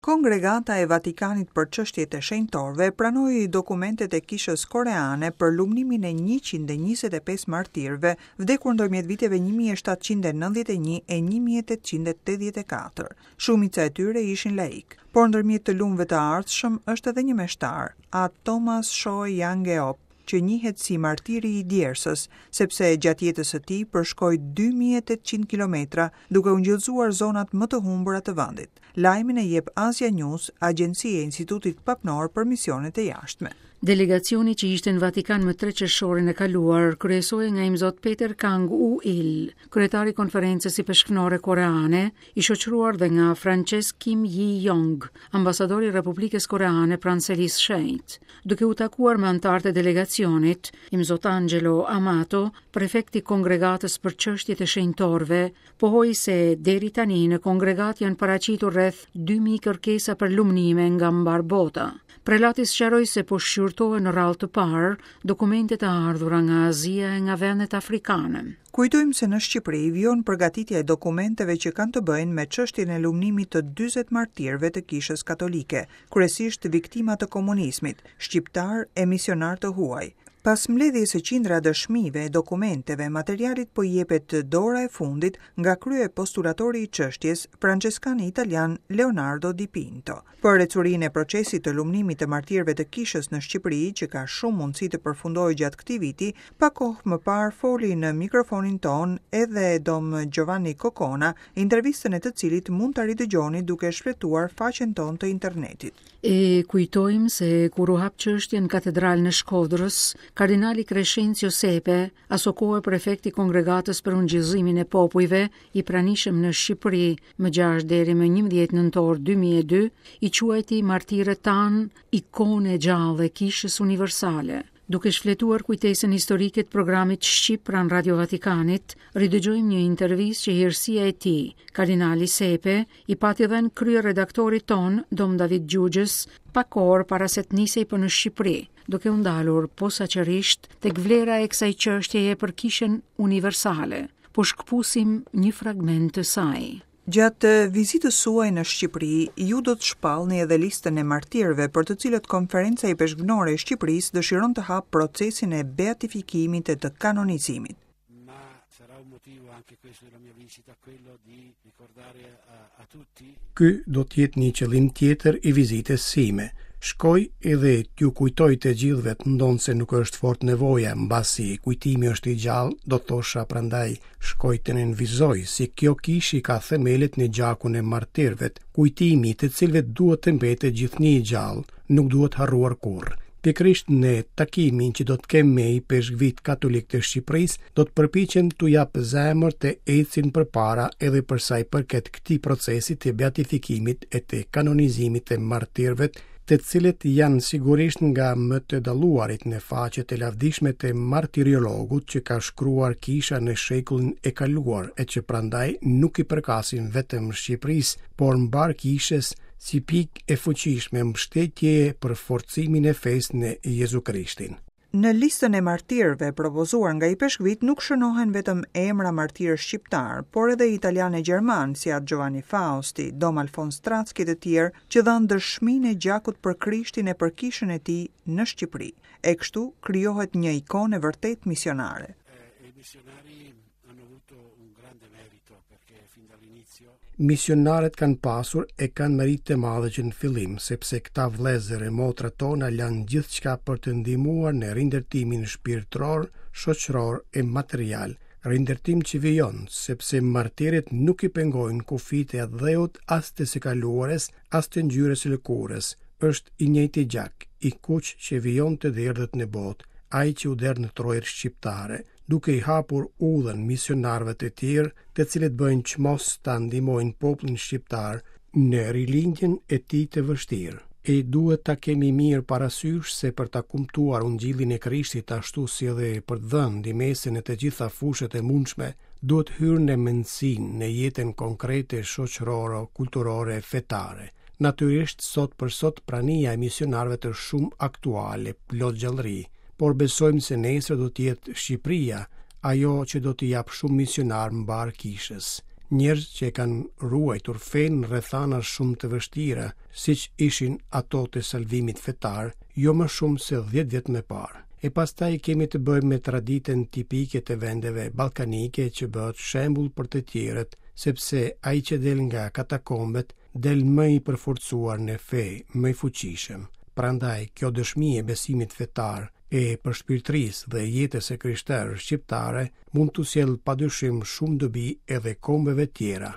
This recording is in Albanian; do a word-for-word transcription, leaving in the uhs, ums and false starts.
Kongregata e Vatikanit për çështjet e shenjtorëve pranoi dokumentet e kishës koreane për lumnimin e njëqind e njëzet e pesë martirëve vdekur ndërmjet viteve një mijë e shtatëqind e nëntëdhjetë e një e një mijë e tetëqind e tetëdhjetë e katër. Shumica e tyre ishin laik, por ndërmjet të lumëve të ardhshëm është edhe një meshtar, A Thomas Shoe Yang-eop, që njihet si martiri i djersës, sepse gjatë jetës së tij përshkoi dy mijë e tetëqind kilometra duke u ngjëllëzuar zonat më të humbura të vendit. Lajmin e jep Asia News, agjencia e Institutit Papnor për Misionet e Jashtme. Delegacioni që ishte në Vatikan më tre qershorin e kaluar kryesohej nga imzot Peter Kang U-il, kryetari i konferencës ipeshkvnore koreane, i shoqëruar dhe nga Frances Kim Yi-yong, ambasadori i Republikës Koreane pranë Selisë Shenjtë. Duke u takuar me anëtarët e delegacionit, imzot Angelo Amato, prefekti kongregatës për çështjet e shenjtorëve, pohoi se deri tani në kongregat janë paraqitur rreth dy mijë kërkesa për lumnime nga mbar bota. Prelati sqaroi se po shqyrtohen në radhë të parë dokumentet e ardhura nga Azia e nga vendet afrikane. Kujtojmë se në Shqipëri vijon përgatitja e dokumenteve që kanë të bëjnë me çështjen e lumnimit të dyzet martirëve të Kishës Katolike, kryesisht viktima të komunizmit, shqiptar e misionar të huaj. Pas mbledhjes së qindra dëshmive e dokumenteve, materialit po jepet dora e fundit nga krye postulatori i çështjes, franceskani italian Leonardo Di Pinto. Për ecurinë e procesit të lumnimit të martirëve të kishës në Shqipëri, që ka shumë mundësi të përfundojë gjatë këtij viti, pak kohë më parë foli në mikrofonin ton edhe Dom Giovanni Kokona, intervistën e të cilit mund ta ridëgjoni duke shfletuar faqen tonë të internetit. E kujtojmë se kur u hap çështja në katedralën e Shkodrës, kardinali Crescenzio Sepe, asokohe prefekti kongregatës për ungjillimin e popujve, i pranishëm në Shqipëri më gjashtë deri më njëmbëdhjetë nëntor dy mijë e dy, i quajti martirët tanë ikone e gjallë e kishës universale. Duke shfletuar kujtesën historike të programit shqip pranë Radio Vatikanit, ridëgjojmë një intervistë që hirësia e tij, kardinali Sepe, i pati dhënë kryeredaktorit ton, Dom David Gjugjës, pak orë para se të nisej për në Shqipëri, duke u ndalur posaçërisht tek vlera e kësaj çështjeje për kishën universale. Po shkëpusim një fragment të saj. Gjatë vizitës suaj në Shqipëri, ju do të shpallni edhe listën e martirëve për të cilët Konferenca Ipeshkvnore e Shqipërisë dëshiron të hapë procesin e beatifikimit e të kanonizimit. Ma sarà un motivo anche questo della mia visita, quello di ricordare a, a tutti. Ky do të jetë një qëllim tjetër i vizitës sime. Shkoj edhe t'ju kujtoj të gjithëve, ndonëse nuk është fort nevoja, mbasi kujtimi është i gjallë, do thosha prandaj shkoj të nënvizoj se kjo kishë ka themelet në gjakun e martirëve, kujtimi të cilëve duhet të mbetet gjithnjë i gjallë, nuk duhet harruar kurrë. Pikërisht në takimin që do të kem me ipeshkvit katolik të Shqipërisë, do të përpiqem t'u jap zemër të ecin përpara edhe për sa i përket këtij procesi të beatifikimit e të kanonizimit të martirëve, të cilët janë sigurisht nga më të dalluarit në faqet e lavdishme të martiriologut që ka shkruar kisha në shekullin e kaluar e që prandaj nuk i përkasin vetëm Shqipërisë, por mbar kishës si pikë e fuqishme mbështetjeje për forcimin e fesë në Jezu Krishtin. Në listën e martirëve propozuar nga ipeshkvit nuk shënohen vetëm emra martirë shqiptar, por edhe italianë e gjermanë si At Giovanni Fausti, Dom Alfons Tracki të tjerë që dhanë dëshminë e gjakut për Krishtin e për kishën e tij në Shqipëri. E kështu krijohet një ikonë e vërtetë misionare. E misionari hanno avuto un grande merito perché fin dall'inizio Misionarët kanë pasur e kanë meritë të madhe që në fillim, sepse këta vëllezër e motra tona lanë gjithçka për të ndihmuar në rindërtimin shpirtëror, shoqëror e material, rindërtim që vijon, sepse martirët nuk i pengojnë kufijtë e atdheut as të së kaluarës, as të ngjyrës së lëkurës. Është i njëjti gjak, i kuq që vijon të derdhet në botë, ai që u derdh në trojet shqiptare, duke i hapur udhën misionarëve të tjerë, të cilët bëjnë çmos ta ndihmojnë popullin shqiptar në rilindjen e tij të vështirë. E duhet ta kemi mirë parasysh se për ta kumtuar ungjillin e Krishtit ashtu si edhe për të dhënë ndihmesën në të gjitha fushat e mundshme, duhet hyrë në mendësinë, në jetën konkrete, shoqërore, kulturore, fetare. Natyrisht, sot për sot prania e misionarëve është shumë aktuale, plot gjallëri, por besojmë se nesër do të jetë Shqipëria ajo që do t'i japë shumë misionar mbar kishës. Njerëz që e kanë ruajtur fenë në rrethana shumë të vështira, siç ishin ato të salvimit fetar, jo më shumë se dhjetë vjet më parë. E pastaj kemi të bëjmë me traditën tipike të vendeve ballkanike që bëhet shembull për të tjerët, sepse ai që del nga katakombet del më i përforcuar në fe, më i fuqishëm. Prandaj kjo dëshmi e besimit fetar, e përshpirtërisë dhe jetës së krishterë shqiptare mund t'u sjellë padyshim shumë dobi edhe kombeve tjera.